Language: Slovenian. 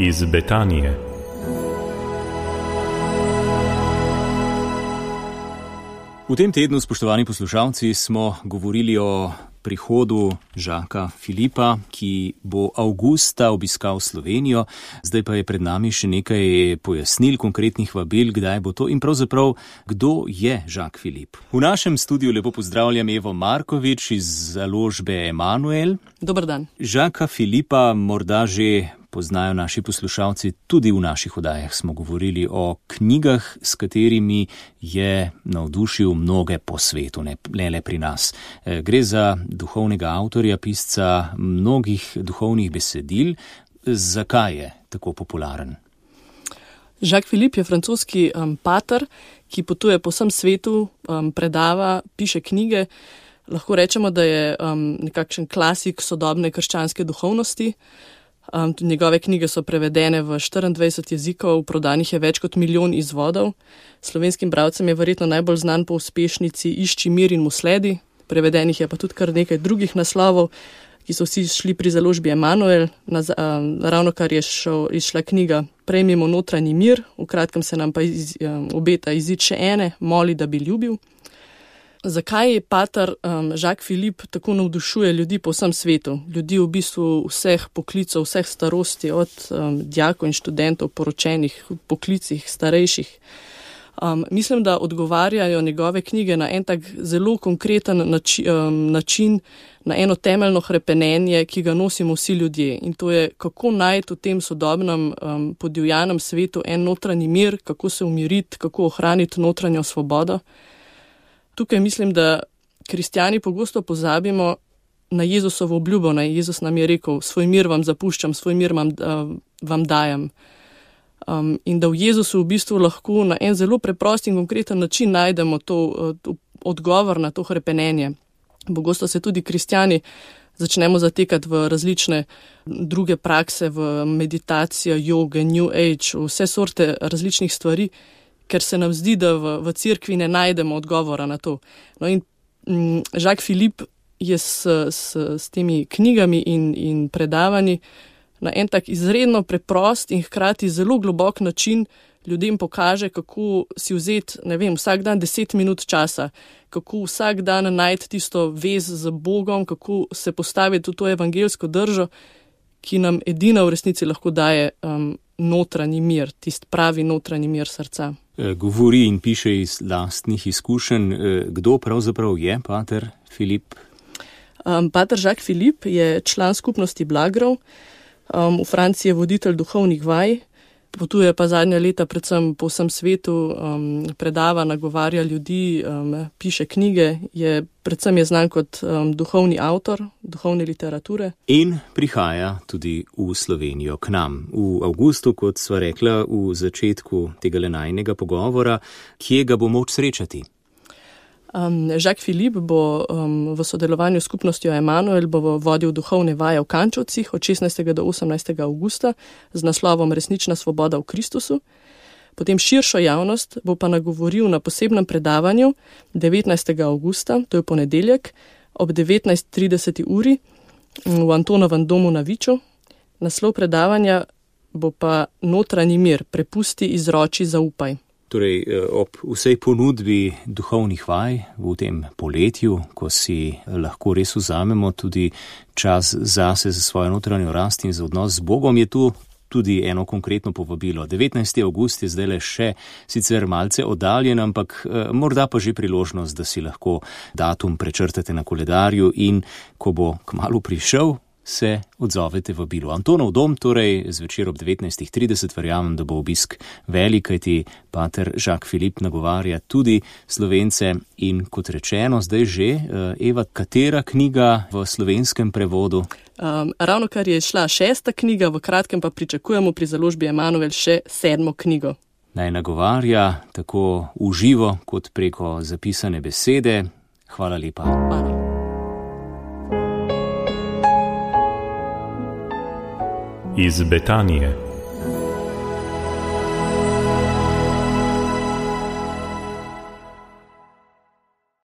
Iz Betanije. V tem tednu, spoštovani poslušalci, smo govorili o prihodu Žaka Filipa, ki bo avgusta obiskal Slovenijo. Zdaj pa je pred nami še nekaj pojasnil, konkretnih vabil, kdaj bo to in pravzaprav, kdo je Žak Filip. V našem studiu lepo pozdravljam Evo Markovič iz založbe Emanuel. Dober dan. Žaka Filipa morda že poznajo naši poslušalci, tudi v naših oddajah smo govorili o knjigah, s katerimi je navdušil mnoge po svetu, ne le pri nas. Gre za duhovnega avtorja, pisca mnogih duhovnih besedil. Zakaj je tako popularen? Jacques Philippe je francoski pater, ki potuje po vsem svetu, predava, piše knjige. Lahko rečemo, da je nekakšen klasik sodobne krščanske duhovnosti. Njegove knjige so prevedene v 24 jezikov, prodanih je več kot 1 milijon izvodov. Slovenskim bralcem je verjetno najbolj znan po uspešnici Išči mir in mu sledi. Prevedenih je pa tudi kar nekaj drugih naslovov, ki so vsi šli pri založbi Emanuel. Ravno kar je izšla knjiga Prejmimo notranji mir, v kratkem se nam pa obeta izid še ene, Moli, da bi ljubil. Zakaj pater Jacques Philippe tako navdušuje ljudi po vsem svetu? Ljudi v bistvu vseh poklicov, vseh starosti, od dijakov in študentov, poročenih, poklicih, starejših. Mislim, da odgovarjajo njegove knjige na en tak zelo konkreten način, na eno temeljno hrepenenje, ki ga nosimo vsi ljudje. In to je, kako najti v tem sodobnem podivjanem svetu en notranji mir, kako se umiriti, kako ohraniti notranjo svobodo. Tukaj mislim, da kristjani pogosto pozabimo na Jezusovo obljubo. Jezus nam je rekel, svoj mir vam zapuščam, svoj mir vam dajem. In da v Jezusu v bistvu lahko na en zelo preprost in konkreten način najdemo to odgovor na to hrepenenje. Pogosto se tudi kristjani začnemo zatekati v različne druge prakse, v meditacijo, joge, New Age, vse sorte različnih stvari, ker se nam zdi, da v cerkvi ne najdemo odgovora na to. No in Jacques Philippe je s temi knjigami in predavanji na en tak izredno preprost in hkrati zelo globok način ljudem pokaže, kako si vzeti, vsak dan 10 minut časa, kako vsak dan najti tisto vez z Bogom, kako se postaviti v to evangelsko držo, ki nam edina v resnici lahko daje notranji mir, tisti pravi notranji mir srca. Govori in piše iz lastnih izkušenj. Kdo pravzaprav je pater Filip? Pater Jacques Philippe je član skupnosti Blagrov. V Franciji je voditelj duhovnih vaj, potuje pa zadnja leta predvsem po vsem svetu, predava, nagovarja ljudi, piše knjige, predvsem je znan kot duhovni avtor, duhovne literature. In prihaja tudi v Slovenijo k nam. V avgustu, kot sva rekla v začetku tega najinega pogovora, kje ga bo moč srečati? Jacques Philippe bo v sodelovanju s skupnostjo Emanuel bo vodil duhovne vaje v Kančovcih od 16. do 18. avgusta z naslovom Resnična svoboda v Kristusu. Potem širšo javnost bo pa nagovoril na posebnem predavanju 19. avgusta, to je ponedeljek, ob 19:30 uri v Antonovem domu na Viču. Naslov predavanja bo pa Notranji mir, prepusti, izroči, zaupaj. Torej, ob vsej ponudbi duhovnih vaj v tem poletju, ko si lahko res vzamemo tudi čas zase za svojo notranjo rast in za odnos z Bogom, je tu tudi eno konkretno povabilo. 19. avgust je zdaj le še sicer malce oddaljen, ampak morda pa že priložnost, da si lahko datum prečrtate na koledarju in ko bo kmalu prišel, se odzovete vabilu. Antonov dom, torej zvečer ob 19:30, verjamem, da bo obisk velik, kajti pater Jacques Philippe nagovarja tudi Slovence in kot rečeno, zdaj že, Eva, katera knjiga v slovenskem prevodu? Ravno kar je šla 6. knjiga, v kratkem pa pričakujemo pri založbi Emanuel še 7. knjigo. Naj nagovarja tako v živo kot preko zapisane besede. Hvala lepa. Hvala. Iz Betanije.